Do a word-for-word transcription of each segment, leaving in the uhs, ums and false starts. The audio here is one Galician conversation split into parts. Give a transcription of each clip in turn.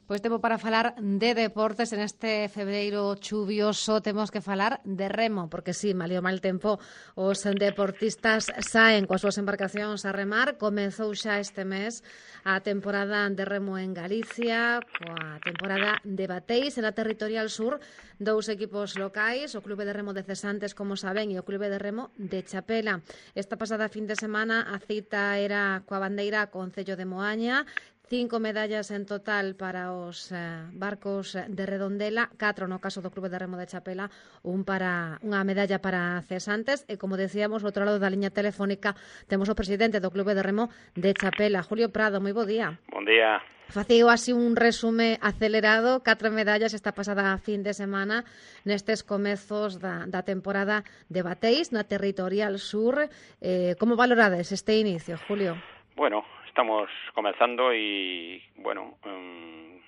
Pois tempo para falar de deportes en este febreiro chuvioso. Temos que falar de remo, porque sí, malio mal tempo, os deportistas saen coas súas embarcacións a remar. Comezou xa este mes a temporada de remo en Galicia, coa temporada de bateis en a Territorial Sur, dous equipos locais, o Clube de Remo de Cesantes, como saben, e o Clube de Remo de Chapela. Esta pasada fin de semana a cita era coa bandeira Concello de Moaña. Cinco medallas en total para os eh, barcos de Redondela, catro no caso do Clube de Remo de Chapela, un para unha medalla para Cesantes, e como decíamos, outro lado da liña telefónica temos o presidente do Clube de Remo de Chapela, Julio Prado. Moi bo día. Bon día. Facío así un resume acelerado, catro medallas esta pasada fin de semana nestes comezos da, da temporada de bateis na Territorial Sur. Eh, como valorades este inicio, Julio? Bueno, estamos comenzando y, bueno, um,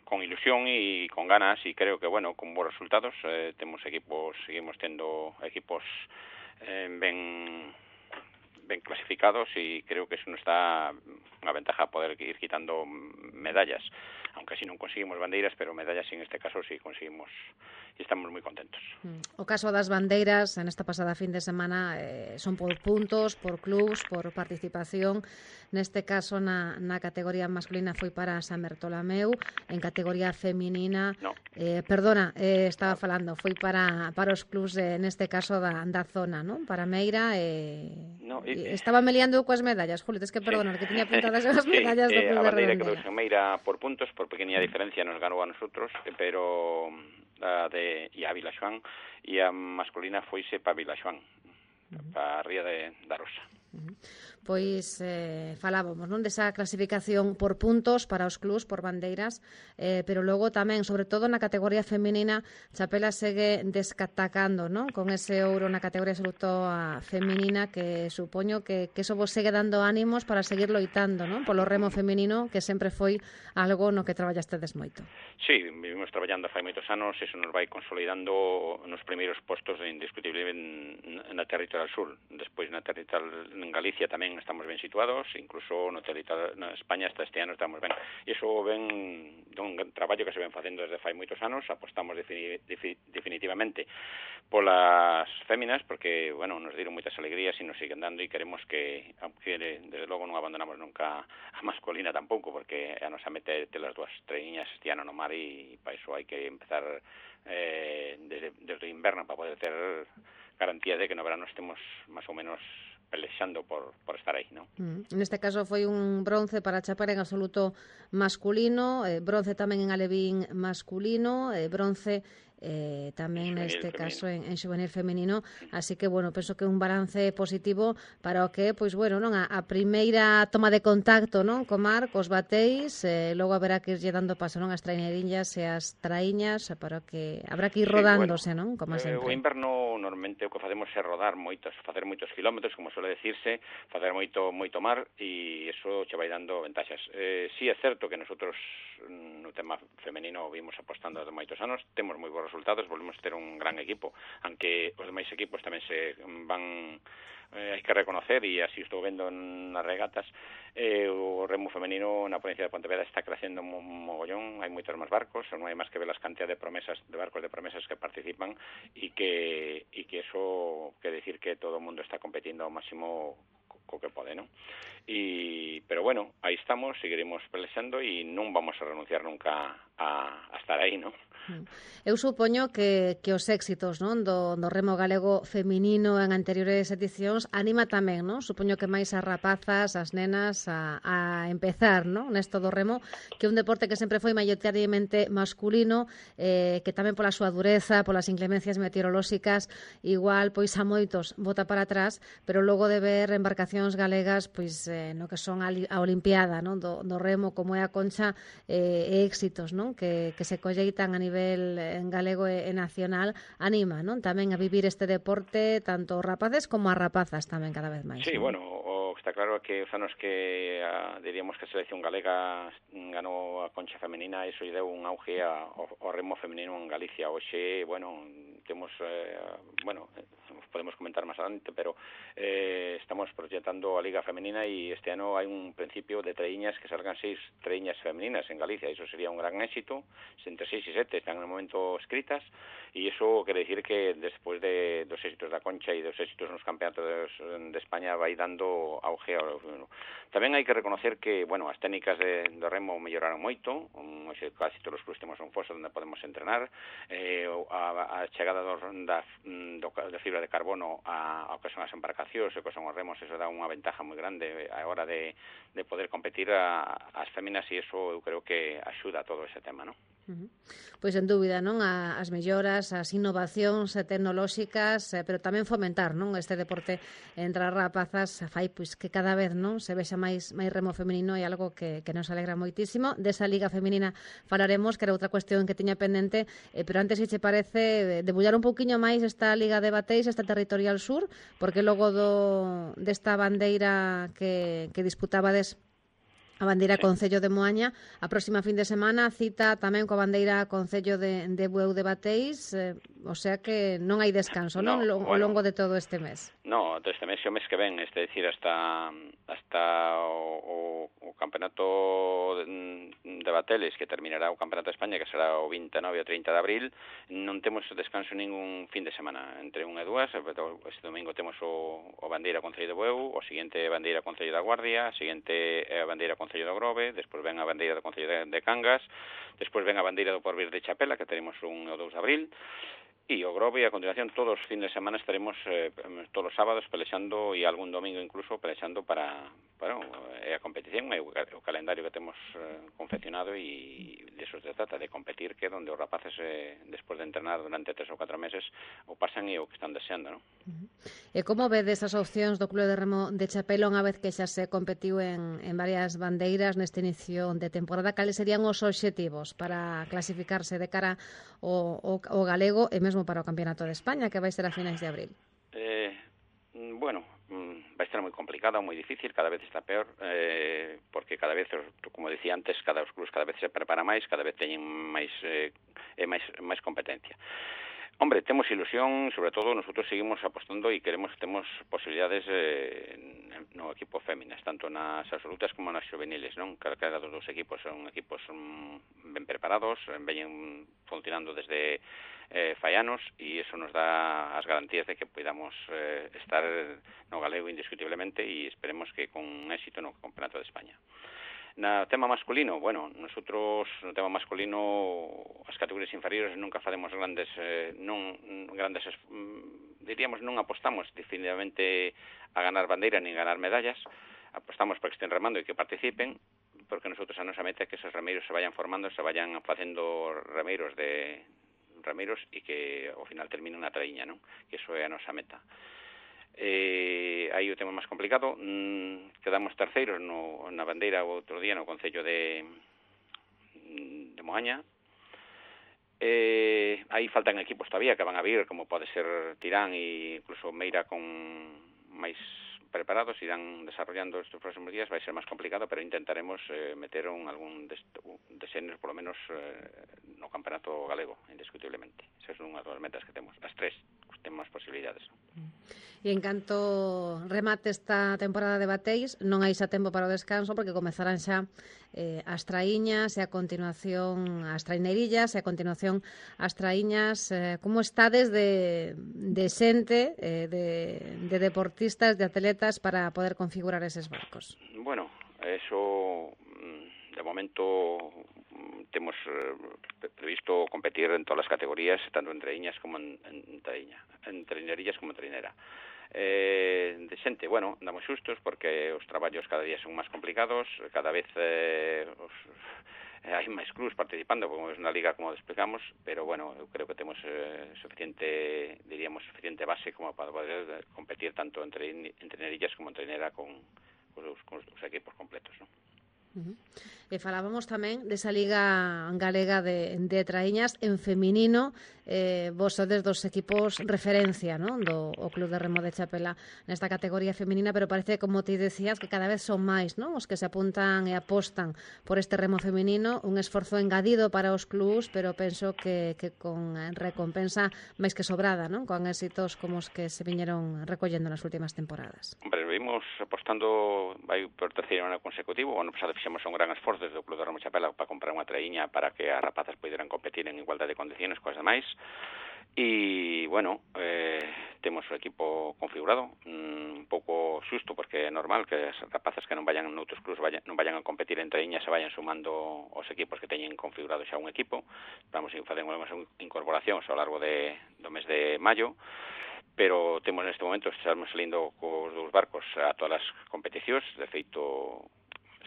con ilusión y con ganas, y creo que, bueno, con buenos resultados. Eh, tenemos equipos, seguimos teniendo equipos eh, ben, ben clasificados, y creo que eso nos da una ventaja poder ir quitando medallas, aunque si non conseguimos bandeiras, pero medallas en este caso sí conseguimos, e estamos moi contentos. O caso das bandeiras en esta pasada fin de semana eh, son por puntos, por clubs, por participación. Neste caso na, na categoría masculina foi para San Bertolameu, en categoría feminina no. eh, perdona, eh, estaba no. falando foi para, para os clubs eh, neste caso da, da zona, non? Para Meira eh, no, e, estaba meliando coas medallas, Julio, tes que perdonar, sí. que tiña apuntadas as medallas sí, do Club eh, de Redondela. A bandeira que Meira por puntos, por pequeña diferencia nos ganou a nosotros, pero a de e a Vila Xoán, e a masculina foise para Vila Xoán, uh -huh. para a Ría de, da Rosa. Uh -huh. Pois eh, falábamos, non, desa clasificación por puntos para os clubs, por bandeiras, eh, pero logo tamén, sobre todo na categoría feminina, Chapela segue descatacando, non, con ese ouro na categoría absoluta feminina, que supoño que, que eso vos segue dando ánimos para seguir loitando, non, polo remo feminino, que sempre foi algo no que traballastedes moito. Sí, vivimos traballando fai moitos anos, eso nos vai consolidando nos primeiros postos indiscutible na Territorial Sur. Despois na Territorial en Galicia tamén estamos ben situados, incluso no territorio na España hasta este ano estamos ben. E iso ven dun traballo que se ven facendo desde fai moitos anos. Apostamos defini, defi, definitivamente polas féminas, porque, bueno, nos dieron moitas alegrías e nos siguen dando, e queremos que, aunque desde logo non abandonamos nunca a masculina tampouco, porque a nos a meter las dúas treiñas este ano no mar, e para iso hai que empezar eh, desde, desde o inverno para poder ter garantía de que no verano estemos máis ou menos pelexando por, por estar aí, ¿no? Mm. Neste caso foi un bronce para Chapela en absoluto masculino, eh, bronce tamén en alevín masculino, eh, bronce eh, tamén neste caso en, en xuvenil femenino, así que, bueno, penso que un balance positivo para o que, pois, bueno, non, a, a primeira toma de contacto, non, co mar, cos bateis, eh, logo haberá que irlle dando paso, non, as traiñeriñas e as traíñas, para que habrá que ir rodándose, sí, bueno, non, como sempre. O inverno normalmente o que facemos é rodar moitos, facer moitos kilómetros, como suele decirse, facer moito moito mar, e iso che vai dando ventaxas. Eh, sí é certo que nosotros no tema femenino vimos apostando de moitos anos, temos moi bons resultados, volvemos ter un gran equipo, aunque os demais equipos tamén se van, eh, hai que reconocer, e así estou vendo nas regatas, eh, o remo femenino na provincia de Pontevedra está crecendo un mogollón, hai moitos máis barcos, non hai máis que ver as cantidades de promesas, de barcos de promesas que participan, e que e que eso quere decir que todo o mundo está competindo ao máximo co que pode, non? E, pero bueno, aí estamos, seguiremos pelexando e non vamos a renunciar nunca a, a estar aí, non? Eu supoño que, que os éxitos, non, do, do remo galego feminino en anteriores edicións anima tamén, non? Supoño que máis as rapazas, as nenas a, a empezar, non, nesto do remo, que é un deporte que sempre foi maioritariamente masculino, eh, que tamén pola súa dureza, polas inclemencias meteorolóxicas, igual pois a moitos bota para atrás, pero logo de ver embarcacións galegas pois eh, no que son a, a Olimpiada, non, do, do remo, como é a Concha, eh, e éxitos, non, que, que se colleitan a nivel en galego e nacional, anima, non, tamén a vivir este deporte tanto rapaces como a rapazas tamén cada vez máis. Sí, non? Bueno, o está claro que os anos que a, diríamos que a selección galega ganou a Concha femenina, iso lle deu un auge ao, ao remo femenino en Galicia. Hoxe, bueno, temos, eh, bueno, podemos comentar más adelante, pero eh, estamos proyectando a Liga Femenina y este año hay un principio de treiñas que salgan seis treiñas femeninas en Galicia. Eso sería un gran éxito. Entre seis y siete están en el momento escritas y eso quiere decir que después de dos éxitos da Concha y dos éxitos nos campeonatos de, de España vai dando auge ao femenino. Tamén hai que reconocer que, bueno, as técnicas de, de remo melloraron moito, um, casi todos os clubs temos un foso onde podemos entrenar, eh, a, a chegada do, da, do, da fibra de carbono a, ao que son as embarcacións e que son os remos, eso dá unha ventaja moi grande a hora de, de poder competir a, as féminas e eso eu creo que axuda a todo ese tema, non? Uh-huh. Pois en dúbida, non? A, as melloras, as innovacións tecnolóxicas, eh, pero tamén fomentar, non? Este deporte entre as rapazas fai pois que cada vez, non, se vexa máis máis remo femenino e algo que, que nos alegra moitísimo. Desa Liga Femenina falaremos, que era outra cuestión que tiña pendente, eh, pero antes, se che parece, debullar un pouquiño máis esta Liga de Bateis, esta Territorial Sur, porque logo do desta bandeira que, que disputabades a bandeira sí. Concello de Moaña, a próxima fin de semana cita tamén coa bandeira Concello de, de Bueu de Bateis, eh, o sea que non hai descanso, non? No, Ao bueno, longo de todo este mes. No, todo este mes e o mes que ven, es decir, hasta hasta o, o, o campeonato de, de Bateles, que terminará o campeonato de España, que será o veintinueve e o trinta de abril, non temos descanso ningún fin de semana, entre un e dúas. Este domingo temos o, o bandeira Concello de Bueu, o seguinte bandeira Concello da Guardia, o seguinte é a bandeira Concello do Grove, despois ven a bandeira do Concello de, de Cangas, despois ven a bandeira do Porvir de Chapela, que teremos un e o dous de abril, e o Grove, e a continuación todos os fines de semana estaremos eh, todos os sábados pelexando e algún domingo incluso pelexando para, para eh, a competición e o, o calendario que temos eh, confeccionado, e de eso se trata, de competir, que donde os rapaces eh, despois de entrenar durante tres ou catro meses o pasan e o que están deseando, non? Uh-huh. E como vedes as opcións do Club de Remo de Chapela unha vez que xa se competiu en, en varias bandeiras neste inicio de temporada? Cales serían os obxectivos para clasificarse de cara ao, ao, ao galego e mesmo para o Campeonato de España, que vai ser a finais de abril? Eh, bueno, vai estar moi complicado, moi difícil, cada vez está peor, eh, porque cada vez, como dicía antes, cada os clubs cada vez se prepara máis, cada vez teñen máis eh, máis, máis competencia. Hombre, temos ilusión, sobre todo nosotros seguimos apostando e queremos, temos posibilidades eh, no equipo féminas, tanto nas absolutas como nas juveniles, non? Cada dos dos equipos son equipos um, ben preparados, veñen funcionando desde eh, fai anos, e eso nos dá as garantías de que podamos eh, estar no galego indiscutiblemente, e esperemos que con éxito no Campeonato de España. Na tema masculino, bueno, nosotros no tema masculino as categorías inferiores nunca facemos grandes eh, non grandes diríamos non apostamos definitivamente a ganar bandeira ni a ganar medallas, apostamos para que estén remando e que participen, porque nosotros a nosa meta é que esos remeiros se vayan formando, se vayan facendo remeiros de remeiros e que ao final termine unha traíña, non? Que iso é a nosa meta. Eh, aí o tema máis complicado, mm, quedamos terceiros no, na bandeira o outro día no Concello de de Moaña. Eh, aí faltan equipos todavía que van a vir, como pode ser Tirán e incluso Meira, con máis preparados, irán desarrollando estes próximos días. Vai ser máis complicado, pero intentaremos eh, meter un, algún deseño por lo menos eh, no campeonato galego, indiscutiblemente. Esa é unha das metas que temos, as tres, temos posibilidades. E en canto remate esta temporada de Bateis, non hai xa tempo para o descanso, porque comezarán xa eh, as traíñas e a continuación as traineirillas e a continuación as traíñas. Eh, como estades de, de xente, eh, de, de deportistas, de atletas para poder configurar eses barcos? Bueno, eso de momento temos eh, previsto competir en todas as categorías, tanto en traíñas como en, en traíña, en trainerillas como en trainera. Eh, de xente, bueno, andamos xustos porque os traballos cada día son máis complicados, cada vez eh, os, eh, hai máis clubs participando, como é unha liga, como explicamos, pero bueno, eu creo que temos eh, suficiente, diríamos, suficiente base como para poder competir tanto en, train, en trainerillas como en trainera con, con, os, con os equipos completos, ¿no? Uh-huh. E falábamos tamén desa Liga Galega de, de Traíñas en feminino. Eh, vos sodes dos equipos referencia, ¿no? Do o Club de Remo de Chapela nesta categoría feminina, pero parece, como ti decías, que cada vez son máis, ¿no? Os que se apuntan e apostan por este remo feminino, un esforzo engadido para os clubs, pero penso que, que con recompensa máis que sobrada, ¿no? Con éxitos como os que se viñeron recollendo nas últimas temporadas. Hombre, vimos apostando vai por terceiro ano consecutivo. O ano pasado fixemos un gran esforzo desde o Club de Remo Chapela para comprar unha traíña para que as rapazas poderan competir en igualdade de condiciones coas demais. E, bueno, eh, temos o equipo configurado, un pouco xusto, porque é normal que as rapazas que non vayan noutros clubs vayan, non vayan a competir en traíña, se vayan sumando os equipos que teñen configurado xa un equipo. Vamos a facer unhas incorporacións ao largo de, do mes de maio, pero temos neste momento, estamos salindo cos dous barcos a todas as competicións. De feito,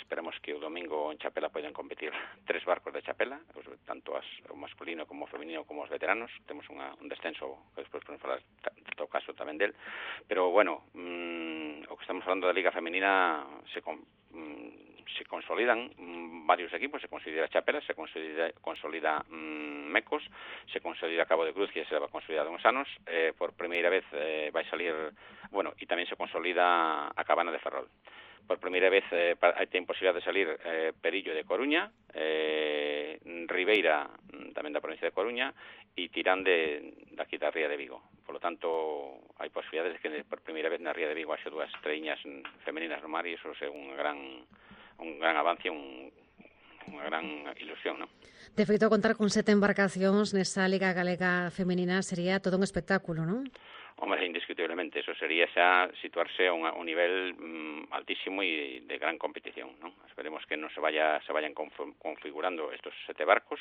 esperamos que o domingo en Chapela poden competir tres barcos de Chapela, tanto as, o masculino como o feminino como os veteranos. Temos unha, un descenso que despois podemos falar en todo caso tamén del, pero bueno, mmm, o que estamos falando da Liga Femenina se, con, mmm, se consolidan mmm, varios equipos. Se consolida Chapela, se consolida, consolida mmm, Mecos, se consolida Cabo de Cruz, que se va a consolidar uns anos, eh, por primeira vez eh, vai salir, bueno, e tamén se consolida a Cabana de Ferrol. Por primeira vez eh, ten posibilidade de salir eh, Perillo de Coruña, eh, Ribeira tamén da provincia de Coruña e Tirán de, daqui da Ría de Vigo. Por lo tanto, hai posibilidades de que por primeira vez na Ría de Vigo haxe dúas traíñas femeninas no mar, e iso é un gran, un gran avance, un, unha gran ilusión, non? De feito, contar con sete embarcacións nesa Liga Galega Femenina sería todo un espectáculo, non? Hombre, indiscutiblemente, eso sería xa situarse a un, a un nivel mm, altísimo e de gran competición, ¿no? Esperemos que non se vaya se vayan configurando estos sete barcos,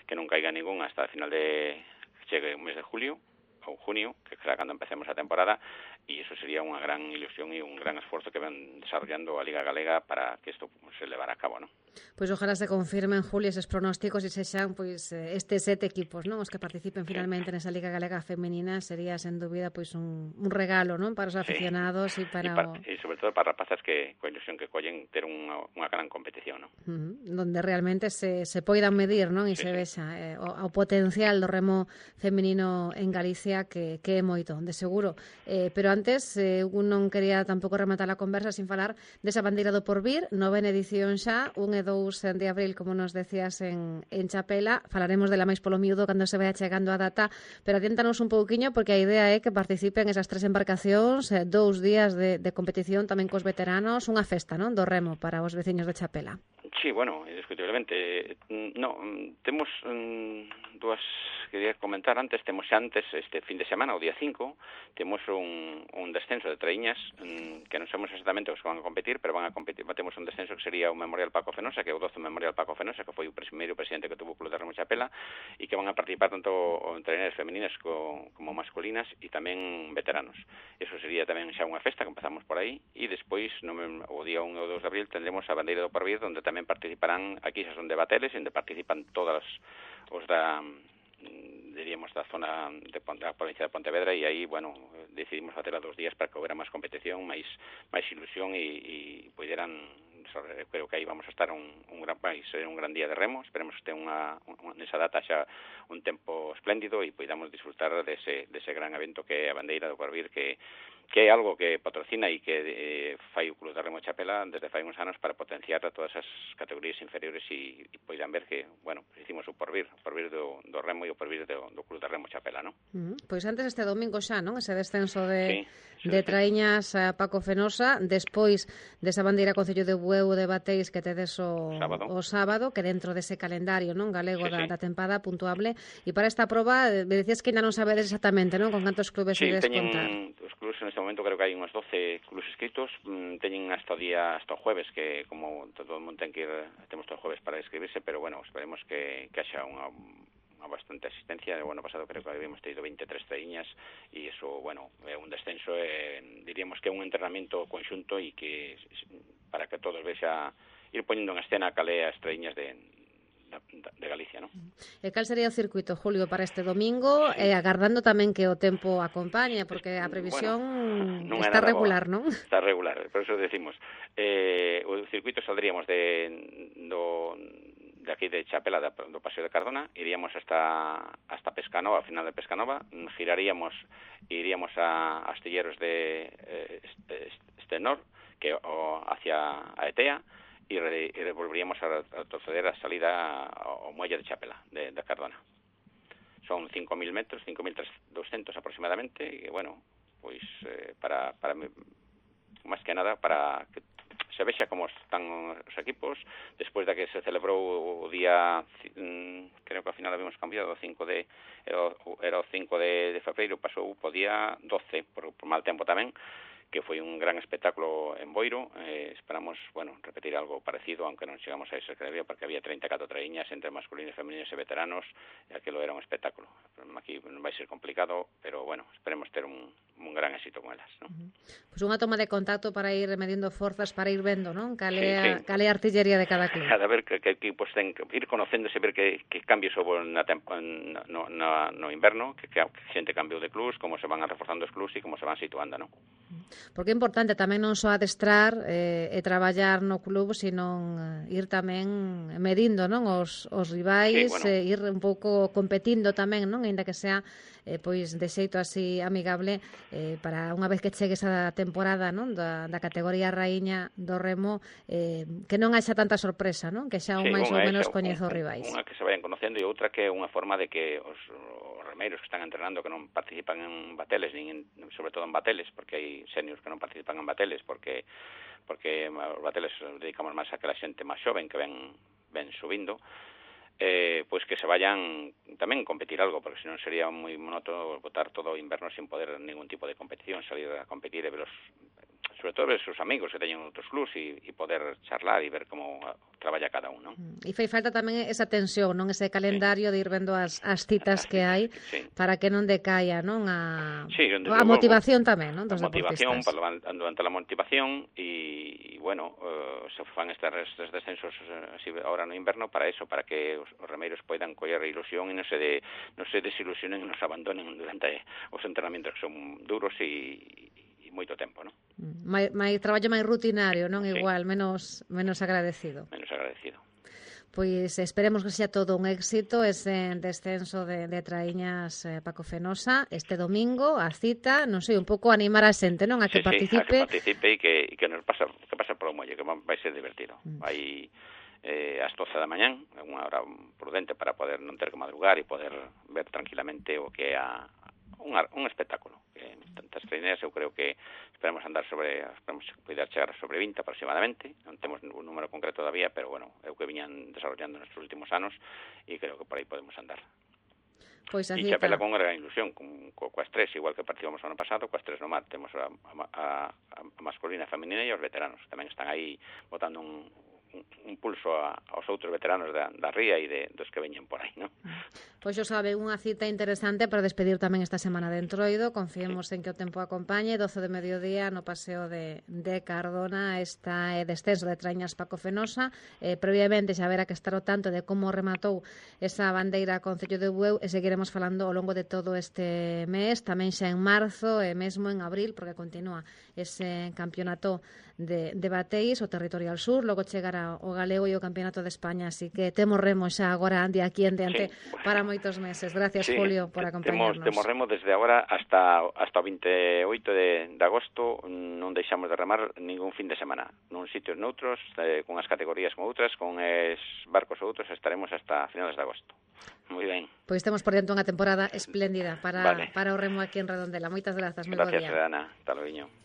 que non caiga ningún hasta el final de chegue o mes de julio ou junio, que será cando empecemos a temporada, e iso sería unha gran ilusión e un gran esforzo que van desarrollando a Liga Galega para que isto se levara a cabo, ¿no? Pois ojalá se confirmen, Julio, eses pronósticos e sexan pois estes sete equipos, non, os que participen finalmente sí. nesa Liga Galega Femenina. Sería, sen dúbida, pois un, un regalo, non, para os aficionados e sí. para, para o... E sobre todo para rapazas que coa ilusión que collen ter unha, unha gran competición, non? Uh-huh. Donde realmente se, se poidan medir, non, e sí, se sí. vexa eh, o, o potencial do remo femenino en Galicia, que, que é moito, de seguro. Eh, pero antes, eh, un non quería tampouco rematar a conversa sin falar desa bandeira do Porvir, novena edición xa, un e dous de abril, como nos decías, en, en Chapela. Falaremos dela máis polo miúdo cando se vaya chegando a data, pero adiantanos un pouquiño, porque a idea é que participen esas tres embarcacións, eh, dous días de, de competición tamén cos veteranos, unha festa, non, do remo para os veciños de Chapela. Sí, bueno, indiscutiblemente. No, temos um, dúas, quería comentar antes, temos antes, este fin de semana, o día cinco, temos un, un descenso de traíñas, um, que non sabemos exactamente os que van a competir, pero van a competir, temos un descenso que sería o Memorial Paco Fenosa, que é o doce Memorial Paco Fenosa, que foi o primeiro presidente que tuvo o Club de Remo Chapela, e que van a participar tanto en traíñas femeninas co, como masculinas, e tamén veteranos. Eso sería tamén xa unha festa, que empezamos por aí, e despois, no, o día un ou dous de abril, tendremos a bandeira do Porvir, onde tamén participarán, aquí xa son debateles, onde participan todas os da, diríamos, da zona de Ponte, da provincia de Pontevedra, e aí, bueno, decidimos facer a dos días para que houbera máis competición, máis máis ilusión, e, e poderan, creo que aí vamos a estar un, un gran país, un gran día de remo. Esperemos que este unha, unha nesa data xa un tempo espléndido e podamos disfrutar dese, dese gran evento que é a bandeira do Porvir, que que é algo que patrocina e que eh, fai o Club de Remo Chapela desde fai uns anos para potenciar a todas as categorías inferiores, e, e poidan ver que, bueno, hicimos o Porvir, o Porvir do, do Remo e o Porvir do, do Club de Remo Chapela, non? Uh-huh. Pois antes este domingo xa, non? Ese descenso de, sí, de traíñas a Paco Fenosa, despois desa bandeira Concello de Bueu de Bateis que tedes o sábado, o sábado, que dentro dese calendario, non, galego, sí, da, sí. da tempada puntuable. E para esta proba, me decías que ainda non sabedes exactamente, non, con cantos clubes sí, ides teñen, contar. Os clubes neste momento creo que hai uns doce clubes inscritos, mm, teñen hasta o día, hasta o jueves, que como todo o mundo ten que ir, temos todo o jueves para inscribirse, pero bueno, esperemos que, que haxa unha unha bastante asistencia. O ano pasado creo que habíamos tenido veintitrés traíñas, e iso, bueno, é un descenso, eh, diríamos que é un entrenamiento conxunto, e que para que todos vexa ir poñendo en escena cal é as traíñas de de Galicia, non? E cal sería o circuito, Julio, para este domingo, sí. eh, agardando tamén que o tempo acompañe, porque a previsión bueno, non está regular, boa. Non? Está regular, por eso decimos, eh, o circuito saldríamos de do de aquí de Chapela, do Paseo de Cardona, iríamos hasta hasta Pescanova, final de Pescanova, giraríamos e iríamos a Astilleros de eh, Estenor, que o hacia a Etea, e, re, e volveríamos a, a proceder a salida ao muelle de Chapela, de, de Cardona. Son cinco mil metros, cinco mil doscientos aproximadamente, e, bueno, pois, eh, para, para máis que nada, para que se vexa como están os equipos, despois da que se celebrou o día, creo que ao final habíamos cambiado o cinco de, era o cinco de, de febreiro, pasou o día doce, por, por mal tempo tamén, que foi un gran espectáculo en Boiro. Eh, esperamos, bueno, repetir algo parecido, aunque non chegamos a ese que debía, porque había treinta e catro traíñas entre masculinos, femeninos e veteranos, e aquilo era un espectáculo. Aquí non vai ser complicado, pero, bueno, esperemos ter un, un gran éxito con elas, ¿no? Uh-huh. Pois pues unha toma de contacto para ir medindo forzas, para ir vendo, non? Cale, sí, sí. Cale a artillería de cada club. Cada ver que, que equipos ten, ir conocéndose, ver que, que cambios houve na tempo, no, no, no inverno, que, que xente cambiou de clubs, como se van reforzando os clubs e como se van situando, non? Porque é importante tamén non só adestrar eh, e traballar no club, sino eh, ir tamén medindo, non, os, os rivais, sí, bueno. eh, ir un pouco competindo tamén, non, aínda que sea eh, pois de xeito así amigable, eh, para unha vez que chegue esa temporada, non, da, da categoría raíña do remo, eh, que non haxa tanta sorpresa, non, que xa un sí, máis ou menos coñezo os rivais. Unha que se vayan conocendo e outra que é unha forma de que os, os remeiros que están entrenando que non participan en bateles, nin en, sobre todo en bateles, porque hai seniors que non participan en bateles, porque porque os bateles dedicamos máis a que a xente máis xoven que ven, ven subindo, eh, pois que se vayan tamén competir algo, porque senón sería moi monótono botar todo o inverno sin poder ningún tipo de competición, salir a competir e ver os, sobre todo ver os seus amigos que teñen outros clubs e, e poder charlar e ver como traballa cada un, non? E fai falta tamén esa tensión, non, ese calendario sí. de ir vendo as, as citas que hai sí. para que non decaia, non, a, sí, a motivación tamén, non, dos a motivación, deportistas. Para, durante a motivación e, bueno, uh, se fan estes, estes descensos uh, así, ahora no inverno para eso, para que os, os remeiros poidan coller a ilusión e non se, de, non se desilusionen e non se abandonen durante os entrenamentos que son duros e moito tempo, non? Mai, mai traballo máis rutinario, non? Sí. Igual, menos menos agradecido. Menos agradecido. Pois esperemos que sea todo un éxito ese descenso de, de traíñas eh, Paco Fenosa este domingo, a cita, non sei, un pouco animar a xente, non? A que sí, participe. Sí, a que participe e que, e que nos pasa, que pasa por o molle, que vai ser divertido. Mm. Vai eh, ás doce da mañán, unha hora prudente para poder non ter que madrugar e poder ver tranquilamente o que é a Un, un espectáculo que tantas traineras eu creo que esperamos andar sobre esperamos poder chegar sobre vinte aproximadamente, non temos un número concreto todavía, pero bueno, é o que viñan desarrollando nestes últimos anos e creo que por aí podemos andar. Pois e Chapela con gran ilusión, con, co, coas tres, igual que participamos o ano pasado, coas tres no mar, temos a, a, a, a masculina, a feminina e os veteranos, tamén están aí botando un un pulso a, aos outros veteranos da, da ría e de, dos que veñen por aí, non? Pois xo sabe, unha cita interesante para despedir tamén esta semana de Entroido. Confiemos sí. en que o tempo acompañe. doce de mediodía no paseo de, de Cardona está eh, descenso de traíñas Paco Fenosa. Eh, previamente xa verá que estar o tanto de como rematou esa bandeira Concello de Bueu e seguiremos falando ao longo de todo este mes, tamén xa en marzo e mesmo en abril, porque continúa ese campeonato de, de bateis, o Territorial Sur, logo chegará o Galego e o Campeonato de España, así que temos remo xa agora de aquí en diante sí, bueno. para moitos meses. Gracias, sí, Julio, por acompañarnos. Temos, temos remo desde agora hasta hasta o veintioito de, de agosto, non deixamos de remar ningún fin de semana, nun sitios noutros, eh, con as categorías con outras, con es barcos outros, estaremos hasta finales de agosto. Moi ben. Pois temos por dentro unha temporada espléndida para, vale. para o remo aquí en Redondela. Moitas grazas, moi bo día. Gracias, Ana. Hasta logo.